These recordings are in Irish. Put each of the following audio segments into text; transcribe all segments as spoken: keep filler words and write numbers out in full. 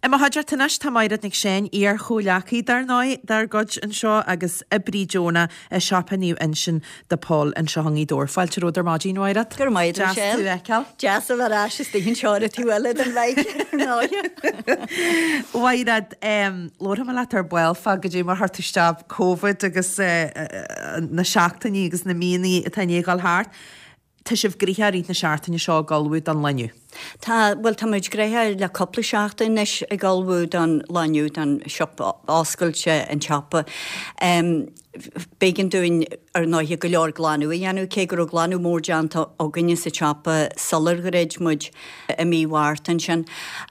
I mo chuideachta anois tá Maighread Nic Seáin, iar-chomhghleacaí dar ndóigh dár gcuid anseo agus oibrí deonach i siopa Naomh Uinseann de Pól anseo i nGaoth Dobhair. Fáilte romhat ar maidin, Mhaighread. Go raibh maith agat, Deas tú a fheiceáil. Deas a bheith ar ais istigh anseo ar an taobh eile den mhic, ar ndóigh. Mhaighread, labharfaidh mé leat ar ball fá goidé mar chuir tú isteach Covid agus na seachtainí agus na míonna atá i ndiaidh a dhul thart. Tá sibh gnoitheach i rith na seachtaine seo ag ullmhú don lá inniu. Tá, bhuel tá muid gnoitheach le cúpla seachtain anois ag ullmhú don lá inniu, don siopa, oscailte an tsiopa. B'éigean dúinn ar ndóighe go leor glanadh a dhéanamh, cé go raibh glanadh mór déanta againne sa tsiopa sular dhruid muid i mí Mhárta ansin.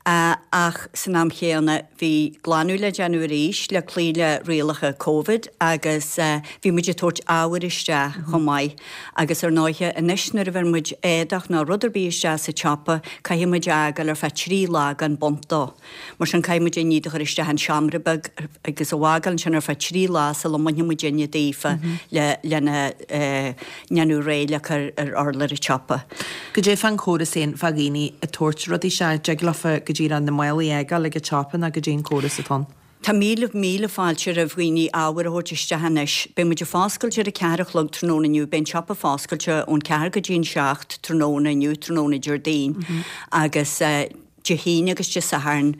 Ach san am chéanna bhí glanadh le déanamh arís le cloí le rialacha Covid agus bhí muid ag tabhairt ábhair isteach chomh maith. Agus ar ndóighe, anois nuair a bheir muid éadach nó rud ar bith isteach sa tsiopa, caithfidh muid é a fhágáil ar feadh trí lá gan baint dó. Mar sin caithfidh muid an ní do chur isteach in seomra beag agus a fhágáil ansin ar feadh trí lá sula mbainfidh muidinne daofa le lena ndéanamh réidh le cur ar urlár an tsiopa. Goidé fán chóras féin fá dhaoine ag tabhairt rudaí isteach, dtig leofa go díreach na málaí a fhágáil ag an tsiopa nó goidé an córas atá ann? Tá míle míle fáilte roimh dhaoine ábhar a thabhairt isteach anois. Beidh muid ag foscailt ar a ceathair a chlog tráthnóna inniu. Beidh an siopa foscailte ón ceathair go dtí an seacht tráthnóna inniu, tráthnóna Déardaoin, agus Dé hAoine agus Dé Sathairn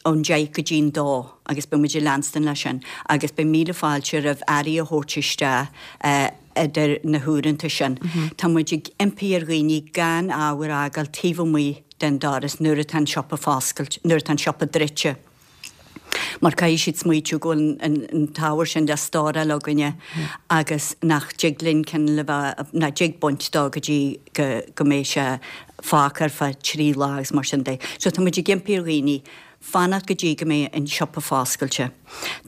ón deich go dtí an dó agus beidh muid ag leanstan leis sin agus beidh míle fáilte roimh earraí a thabhairt isteach idir na huaireanta sin. Tá muid ag impí ar dhaoine gan ábhar a fhágáil taobh amuigh den doras nuair atá an siopa foscailte, nuair atá an siopa druidte. mar caithfidh siad smaoitiú go bhfuil an t-ábhar sin le stóráil againne agus nach dtig linn cineál a bheith, nach dtig baint dó go dtí go mbeidh sé fágtha ar feadh trí lá agus mar sin de. So tá muid ag impí ar dhaoine fanacht go dtí go mbeidh an siopa foscailte.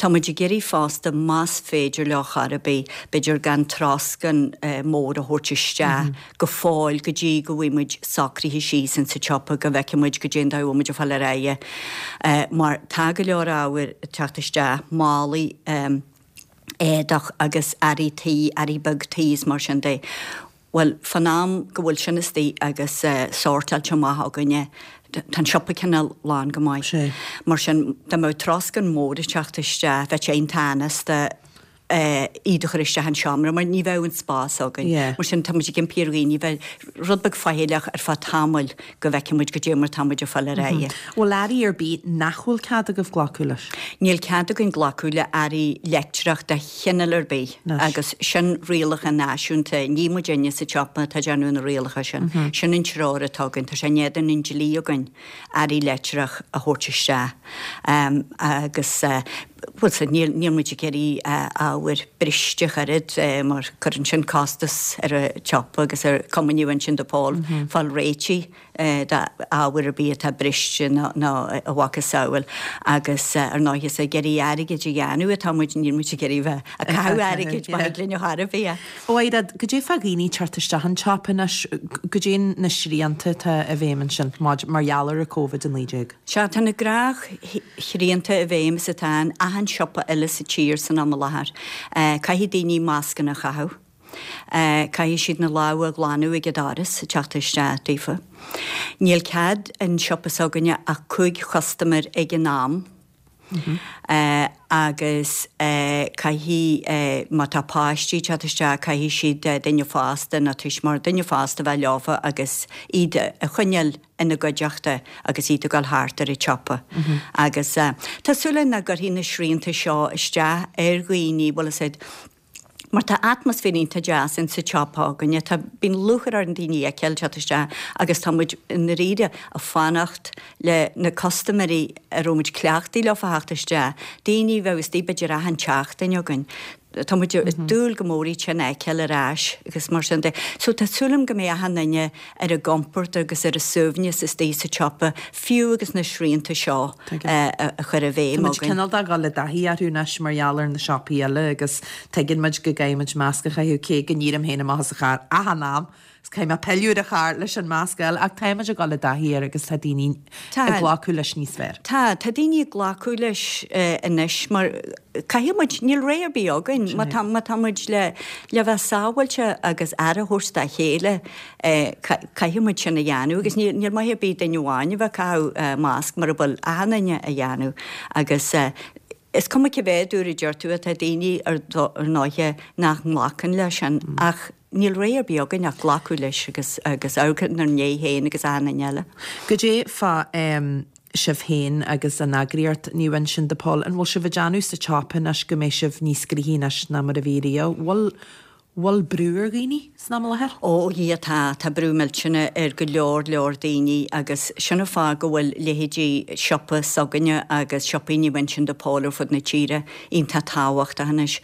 Tá muid ag iarraidh fosta más féidir leo chor ar bith, b'fhéidir gan troscán mór a thabhairt isteach go fóill go dtí go bhfaighidh muid socraithe síos insa tsiopa go bhfeicfidh muid goidé an dóigh a bhfuil muid ag fáil ar aghaidh mar tá go leor ábhair ag teacht isteach, málaí éadach agus earraí tí, earraí beag tí is mar sin de. Bhuel, fán am go bhfuil sin istigh agus sórtáilte amach againne, tá an siopa cineál lán go maith. Mar sin, dá mbeadh troscán mór ag teacht isteach, bheadh sé iontach anasta iad a chur isteach an seomra mar ní bheadh an spás againn. Mar sin, tá muid ag impí ar dhaoine bheith rud beag faichilleach ar feadh tamaill go bhfeicfidh muid goidé mar tá muid ag fáil ar aghaidh. Bhfuil earraí ar bith nach bhfuil cead agaibh glacadh leis? Níl cead againn glacadh le earraí leictreach de chineál ar bith agus sin rialacha náisiúnta, ní muidinne sa tsiopa atá ag déanamh na rialacha sin. Sin an treoir atá againn, tá sé in éadan an dlí againn earraí leictreach a thabhairt isteach agus bhuel sea, níl níl muid ag iarraidh ábhair briste ach oiread mar cuireann sin costas ar an tsiopa agus ar Cumann Naomh Uinseann de Pól fáil réitigh. d'ábhar ar bith atá briste nó a mhacasamhail agus ar ndóigh is ag iarraidh airgid a dhéanamh atá muid, níl muid ag iarraidh bheith ag caitheamh airgid má thig linn ar chor ar bith. A Mhaighread, goidé fá dhaoine teacht isteach an tsiopa anois, goidé na srianta atá i bhfeidhm ansin mar gheall ar an Covid a naoi déag? Sea, tá na gnáthshrianta i bhfeidhm is atá in achan siopa eile sa tír san am i láthair. Caithfidh daoine mascanna a chaitheamh. Caithfidh siad na lámha a ghlanadh ag an doras ag teacht isteach daofa. Níl cead an siopa s'againne ach cúig chustaiméir ag an am agus caithfidh, má tá páistí ag teacht isteach, caithfidh siad duine fásta nó tuismitheoir, duine fásta a bheith leofa agus iad a choinneáil ina gcuideachta agus iad ag dul thart ar an tsiopa. Agus tá súil againn nach gcuirfidh na srianta seo isteach ar dhaoine, bhfuil fhios a'd, Mar tá atmaisféar iontach deas in sa tsiopa againne, tá, bíonn lúcháir orainn daoine a fheiceáil teacht isteach agus tá muid i ndáiríre ag fanacht le na custaiméirí a raibh muid cleachtaithe leo a theacht isteach, daoine a bheadh istigh b'fhéidir achan tseachtain againn. Tá muid ag dúil go mór iad sin a fheiceáil ar ais agus mar sin de. So tá súil agam go mbeidh achan duine ar a gcompord agus ar a suaimhneas istigh sa tsiopa, fiú agus na srianta seo a chur i bhfeidhm againn. Tá muid cineál de ag dul i dtaithí orthu anois mar gheall ar na siopaí eile agus tuigeann muid go gcaithfidh muid masc a chaitheamh cé go n-éirím féin amach as an charr achan am is caithfidh mé pilleadh ar an charr leis an masc a fháil ach táimid ag dul i dtaithí air agus tá daoine ag glacadh leis níos fearr. Tá, tá daoine ag glacadh leis anois mar caithfidh muid, níl rogha ar bith againn, má tá, má tá muid le, le bheith sábháilte agus aire a thabhairt dá chéile, caithfidh muid sin a dhéanamh agus níl, níl maith ar bith duine amháin a bheith ag caitheamh masc mura bhfuil achan duine á dhéanamh agus is cuma cé mhéad uair a deir tú tá daoine ar ndóighe nach nglacann leis sin ach níl rogha ar bith againn ach glacadh leis agus agus amharc inár ndiaidh féin agus achan duine eile. Goidé fá sibh féin agus an eagraíocht Naomh Uinseann de Pól, an bhfuil sibh ag déanamh sa tsiopa anois go mbeidh sibh níos gnoithí anois ná mar a bhí riamh? Bhfuil bhfuil brú ar dhaoine san am i láthair? Ó a Dhia tá, tá brú millteanach ar go leor leor daoine agus sin an fáth go bhfuil leithéidí siopa s'againne agus siopaí Naomh Uinseann de Pól ar fud na tíre iontach tábhachtach anois.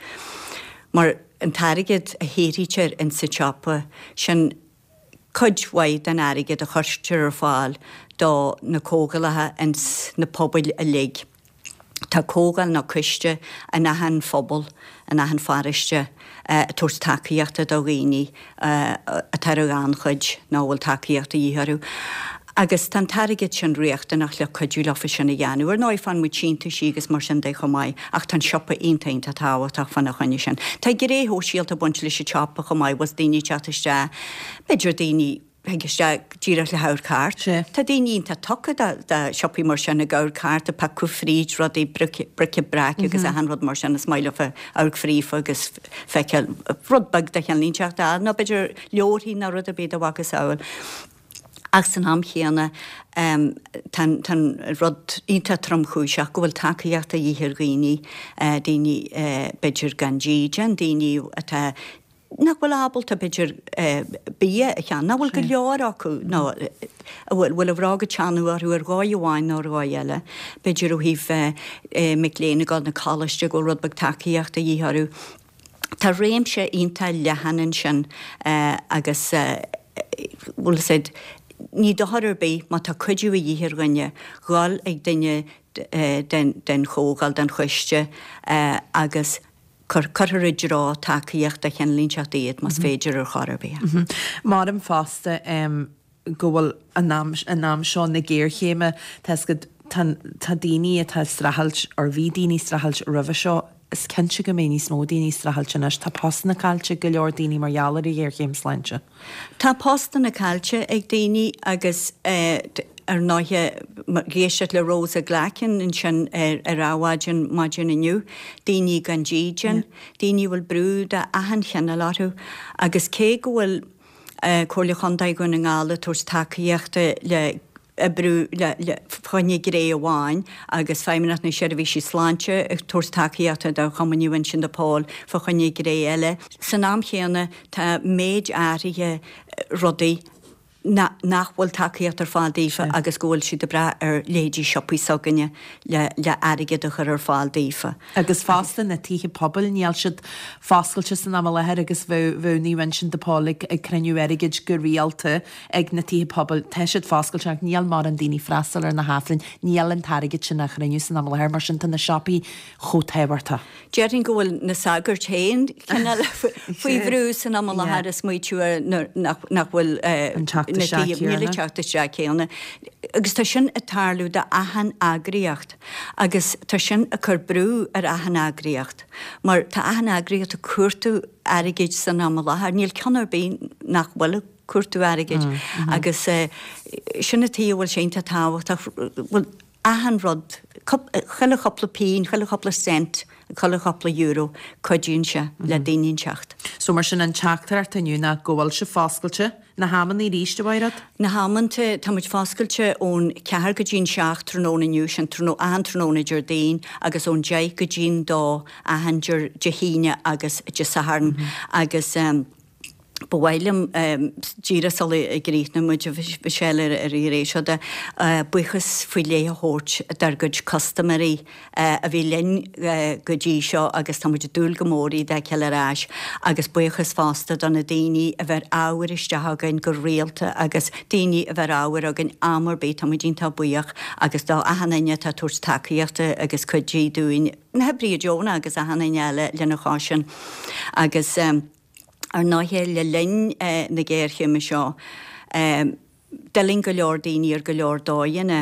Mar an t-airgead a shaothraítear insa tsiopa, sin cuid mhaith den airgead a chuirtear ar fáil do na comhdhálacha ins na pobail uilig. Tá comhdháil nó coiste in achan phobal, in achan pharóiste ag tabhairt tacaíochta do dhaoine atá ar an ghannchuid nó a bhfuil tacaíocht de dhíth orthu. Agus tá an t-airgead sin riachtanach le cuidiú leofa sin a dhéanamh. Ar ndóigh, faigheann muid síntiúisí agus mar sin de chomh maith, ach tá an siopa iontach iontach tábhachtach fána choinne sin. Tá gné shóisialta ag baint leis an tsiopa chomh maith, bhfuil daoine ag teacht isteach, b'fhéidir daoine a thig isteach díreach le hamharc thart. Tá daoine iontach tugtha do shiopaí mar sin, ag amharc thart, ag piocadh fríd rudaí, bric-a-brac agus achan rud mar sin, is maith leofa amharc fríofa agus feiceáil rud beag de chineál inteacht a fháil, nó b'fhéidir leabharthaí nó rud ar bith dá mhacasamhail. Ach san am chéanna, tá an rud iontach tromchúiseach go bhfuil tacaíocht de dhíth ar dhaoine, daoine b'fhéidir gan dídean, daoine atá, nach bhfuil ábalta b'fhéidir bia a cheannach, nach bhfuil go leor acu nó a bhfuil a bhróga ag teannadh orthu ar dhóigh amháin nó ar dhóigh eile, b'fhéidir ó thaobh mic léinn ag dul na coláiste go bhfuil rud beag tacaíochta de dhíth orthu. Tá réimse iontach leathan ansin agus bhfuil a fhios a'd, ní dochar ar bith má tá cuidiú a dhíth ar dhuine, dhul ag duine den chomhdháil, den choiste agus cuirfear i dtreo tacaíocht de chineál inteacht iad más féidir ar chor ar bith. Maram fosta go bhfuil in am, in am seo na géarchéime, tá 'fhios agat, tá, tá daoine atá ag streachailt, or bhí daoine ag streachailt roimhe seo, is cinnte go mbeidh níos mó daoine ag streachailt anois. Tá postanna caillte ag go leor daoine mar gheall ar an ghéarchéim sláinte. Tá postanna caillte ag daoine agus ar ndóighe, ag éisteacht le Rosa Glackin ansin ar ar Adhmhaidin maidin inniu, daoine gan dídean, daoine a bhfuil brú de achan chineál orthu agus cé go bhfuil Comhairle Chontae Dhún na nGall ag tabhairt tacaíochta le oibriú le fá choinne gné amháin agus Feidhmeannacht na Seirbhísí Sláinte ag tabhairt tacaíochta do Chumann Naomh Uinseann de Pól fá choinne gné eile. San am chéanna tá méid áirithe rudaí nach bhfuil tacaíocht ar fáil daofa agus go bhfuil siad ag brath ar leithéidí siopaí s'againne le le airgead a chur ar fáil daofa. Agus fosta na tithe pobail, níl siad foscailte san am i láthair agus bheadh bheadh Naomh Uinseann de Pól ag ag cruinniú airgid go rialta ag na tithe pobail. Tá siad foscailte ach níl mórán daoine freastal ar na hAifrinn, níl an t-airgead sin á chruinniú san am i láthair, mar sin tá na siopaí chomh tábhachtach. Déarfainn go bhfuil na sagairt féin cineál faoi bhrú san am i láthair ag smaoitiú ar nach nach bhfuil an teacht isteach céanna. Níl an teacht isteach céanna. Agus tá sin ag tarlú d'achan eagraíocht agus tá sin ag cur brú ar achan eagraíocht mar tá achan eagraíocht ag cuartú airgid san am i láthair. Níl ceann ar bith nach bhfuil ag cuartú airgid agus sin an tuige a bhfuil sé iontach tábhachtach, bhfuil achan rud, chuile chúpla pingin, chuile chúpla cent, chuile chúpla euro, cuidíonn sé le daoine inteacht. So mar sin an teachtaireacht inniu ná go bhfuil sibh foscailte, na hamanna arís, a Mhaighread? Na hamanta, tá muid foscailte ón ceathair go dtí'n seacht tráthnóna inniu, sin achan tráthnóna Déardaoin, agus ón deich go dtí'n dó achan Dé hAoine agus Dé Sathairn agus ba mhaith liom díreach sula gcríochnóidh muid, a Mhichelle, ar an ghné seo de, buíochas faoi leith a thabhairt dár gcuid custaiméirí a bhí linn go dtí seo agus tá muid ag dúil go mór iad a fheiceáil ar ais agus buíochas fosta do na daoine a bheir ábhair isteach chugainn go rialta agus daoine a bheir ábhair chugainn am ar bith, tá muid iontach buíoch agus do achan duine atá ag tabhairt tacaíochta agus cuidiú dúinn, na hoibrithe deonacha agus achan duine eile lena chois sin agus. Ar ndóighe le linn na géarchéime seo, d'fhulaing go leor daoine ar go leor dóigheanna,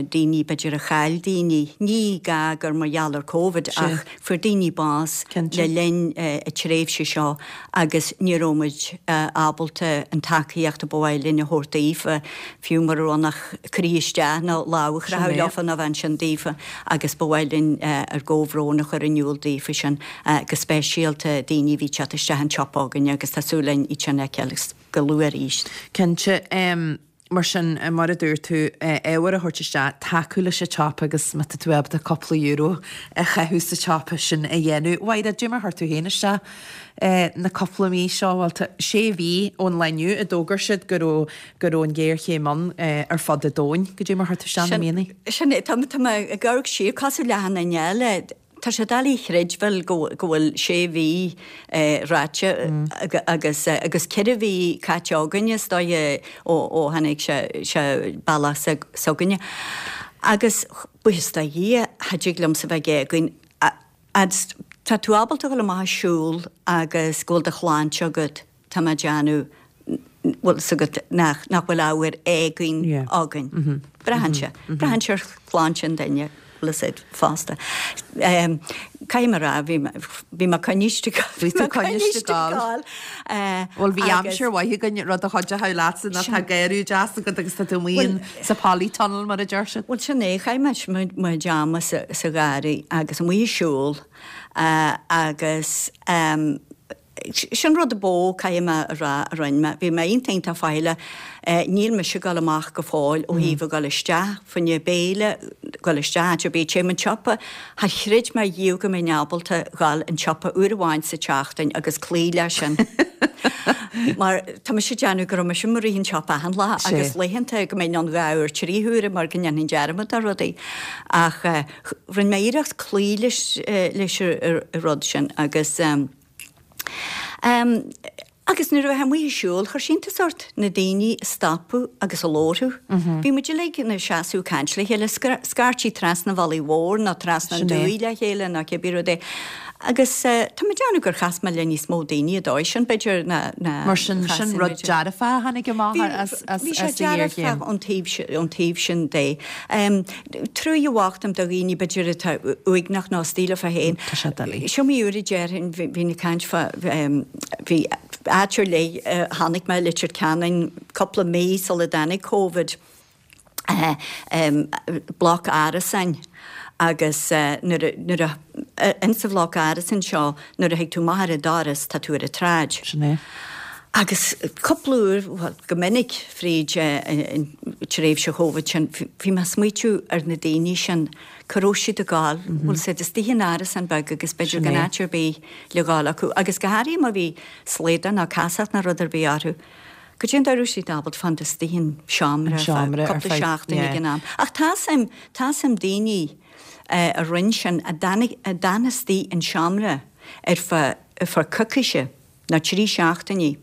daoine b'fhéidir a chaill daoine, ní gá gur mar gheall ar Covid ach fuair daoine bás le linn an tréimhse seo agus ní raibh muid ábalta an tacaíocht a ba mhaith linn a thabhairt daofa, fiú mura raibh ann ach croí isteach nó lámh a chroitheadh leofa nó bheith ansin daofa agus ba mhaith linn ár gcomhbhrón a chur in iúl daofa sin, go speisialta daoine a bhí ag teacht isteach an tsiopa againne agus tá súil againn iad sin a fheiceáil go luath arís. Cinnte. Mar sin, mar a dúirt tú, ábhar a thabhairt isteach, tacú leis an tsiopa agus má tá tú ábalta cúpla euro a chaitheamh sa tsiopa sin a dhéanamh. Mhairéad, cad é mar chuir tú féin isteach na cúpla mí seo, bhuel, tá sé mhí ón lá inniu a d'fhógair siad go raibh go raibh an ghéarchéim ann ar fud an domhain. Cad é mar chuir tú isteach na míonna? Sin é, tá mé ag amharc siar, cosúil le achan duine eile, tá sé doiligh a chreidbheáil go bhfuil sé mhí ráite agus agus ceithre mhí caite againne is dóiche ó tháinig sé bealach s'againne. Agus buíochas do Dhia, cha dtig liomsa bheith ag éagaoin. Fhad 's tá tú ábalta a dhul amach ag siúl agus go bhfuil do shláinte agat, tá mé ag déanamh, bhfuil 's agat nach nach bhfuil ábhar éagaoin againn. Braitheann sé. Braitheann sé ar shláinte an duine, bhfuil 'fhios a'd, fosta. Caithfidh mé a rá, bhí mé bhí mé coinniste Bhí tú coinniste ag gabháil. Bhuel bhí aimsir mhaith againn, rud a chuideochadh leatsa ná tá garraí deas agat agus tá tú amuigh sa polytunnel mar a deir siad. Bhuel sin é, chaith mé mo chuid ama sa sa gharraí agus amuigh ag siúl agus sin rud a ba mhó, caithfidh mé a rá, a rinne mé. Bhí mé iontach iontach faichilleach. Níl mise ag dul amach go fóill ó thaobh a dhul isteach fá choinne béile, dhul isteach áit ar bith, téim an tsiopa. Char chreid mé riamh go mbeinn ábalta dhul an tsiopa uair amháin sa tseachtain agus cloí leis sin. Mar tá mise ag déanamh go raibh mise i mo rith an tsiopa achan lá agus laethanta go mbeinn ann dhá uair trí huaire mar go ndéanfainn dearmad de rudaí. Ach rinne mé iarracht cloí leis leis an rud sin agus Agus nuair a bheifeá amuigh ag siúl, chuir sé iontas ort na daoine a stopadh agus a labhair thú. Bhí muid uilig ina seasamh ag caint le chéile, scaití trasna an bhealaigh mhóir nó trasna an dumhaigh le chéile nó cibé rud é. Agus tá mé ag déanamh gur chas mé le níos mó daoine an dóigh sin, b'fhéidir, ná ná Mar sin, sin rud dearfach a tháinig amach as as Bhí sé dearfach ón taobh ón taobh sin de. Truaighe bhocht dom do dhaoine b'fhéidir atá uaigneach nó istigh leofa féin. Tá sé doiligh. Is iomaí uair a déarfainn, bhínn ag caint fá, bhí áit ar leith a chonaic mé i Leitir Ceanainn cúpla mí sula dtáinig Covid, bloc árasáin agus nuair a, nuair a, insa bhloc árasáin seo nuair a thig tú amach ar an doras tá tú ar an tsráid. Sin é. Agus cúpla uair, bhuel go minic fríd an tréimhse Chóvid sin, bhí mé ag smaoitiú ar na daoine sin, cá raibh siad ag gabháil, bhfuil siad istigh in árasán beag agus b'fhéidir gan áit ar bith le ghabháil acu agus go háirithe má bhí slaodar nó casacht nó rud ar bith orthu, goidé an dóigh a raibh siad ábalta fanacht istigh in seomra ar feadh cúpla seachtain ag an am. Ach tá 'fhios a'm, tá 'fhios a'm daoine a rinne sin, a d'fhan istigh in seomra ar feadh, ar feadh coicíse. nó trí seachtainí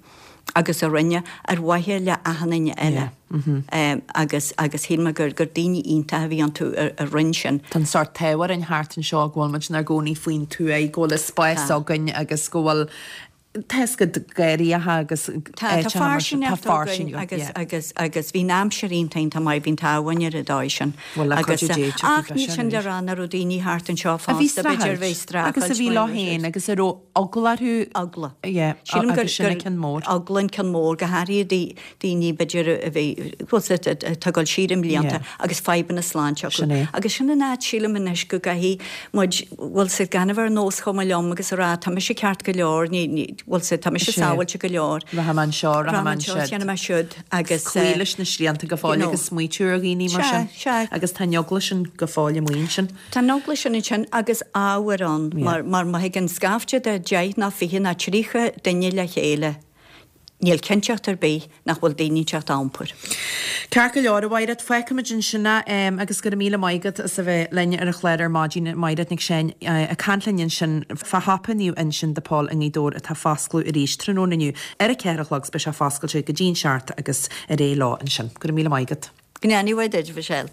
agus a rinne ar mhaithe le achan duine eile agus agus shíl mé gur gur daoine iontacha a bhí iontu a rinne sin. Tá an sórt t-ádh orainn thart anseo go bhfuil muid inár gcónaí faoin tuaith, go bhfuil an spás againn agus go bhfuil tá 'fhios agat garraíocha agus Tá tá áiteacha mar sin, tá fairsingeacht againn agus yeah. agus agus bhí an aimsir iontach iontach maith, bhí an t-ádh againn ar an dóigh sin Bhuel le agus cuidiú Dé ach tiocfaidh níl sin sin le arís. rá nach raibh daoine thart anseo A bhí fosta, b'fhéidir a bhí streachailt streachailt agus a bhí mar leo féin agus a raibh eagla orthu. Eagla. Yeah, Sílim gur agus sin an ceann mór. eagla an ceann mór, go háirithe daoine b'fhéidir a bhí, bhfuil 's agat, atá ag dul siar i mblianta Yeah. agus fadhbanna sláinte acu. Sin é. Agus sin an áit, sílim anois, go gcaithfidh muid, bhfuil 's agat, gan a bheith ar nós chuma liom agus a rá tá mise ceart go leor, ní, ní, bhfuil 's agat, tá mise Sin é. sábháilte go leor. Rachaidh mé anseo, rachaidh Rachaidh mé mé anseo, ansiúd. déanfaidh mé siúd agus Cloí eh, leis na srianta go you fóill know. agus smaoitiú ar dhaoine mar Sea, sin. sea. Agus tá an eagla sin go fóill amuigh ansin. Tá an eagla sin ansin agus ábhar ann mar mar má thigeann scaifte de deich ná fiche ná tríocha duine le chéile, níl cinnteacht ar bith nach bhfuil daoine inteacht á iompar. Ceart go leor, a Mhaighread, fágfaimid ansin é agus go raibh míle maith agat as a bheith linn ar an chlár ar maidin, Maighread Nic Seáin ag caint linn ansin fá shiopa Naomh Uinseann de Pól i nGaoth Dobhair atá ag foscladh arís tráthnóna inniu ar a ceathair a chlog 's beidh sé foscailte go dtí an seacht agus ar aghaidh leo ansin. Go raibh míle maith agat. Go ndéana Dia duit, a Mhichelle.